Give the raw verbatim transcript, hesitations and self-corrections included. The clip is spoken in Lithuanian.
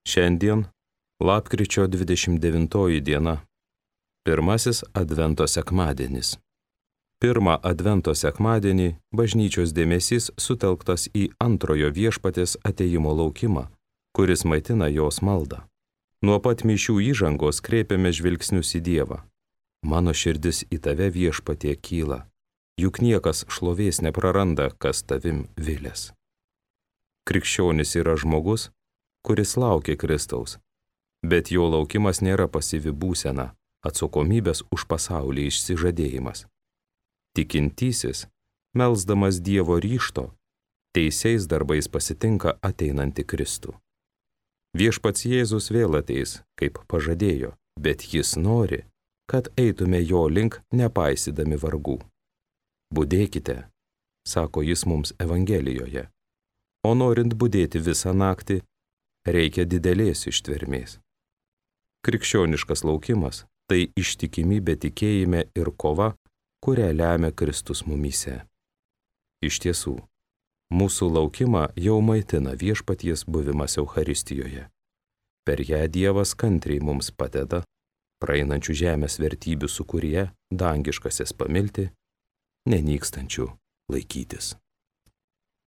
Šiandien lapkričio dvidešimt devintoji diena, pirmasis Advento sekmadienis. Pirmą Advento sekmadienį bažnyčios dėmesys sutelktas į antrojo viešpaties atėjimo laukimą, kuris maitina jos maldą. Nuo pat mišių įžangos kreipiame žvilgsnius į Dievą. Mano širdis į tave viešpatie kyla, juk niekas šlovės nepraranda, kas tavim vilės. Krikščionis yra žmogus, kuris laukia Kristaus, bet jo laukimas nėra pasyvi būsena, atsakomybės už pasaulį išsižadėjimas. Tikintysis, melsdamas Dievo ryžto, teisiais darbais pasitinka ateinantį Kristų. Viešpats Jėzus vėl ateis, kaip pažadėjo, bet jis nori, kad eitume jo link nepaisydami vargų. Budėkite, sako jis mums Evangelijoje, o norint budėti visą naktį, reikia didelės ištvermės. Krikščioniškas laukimas – tai ištikimybė tikėjime ir kova, kurią lemia Kristus mumyse. Iš tiesų, mūsų laukimą jau maitina viešpaties buvimas Eucharistijoje. Per ją Dievas kantriai mums padeda, praeinančių žemės vertybių sūkuryje dangiškasis pamilti, nenykstančių laikytis.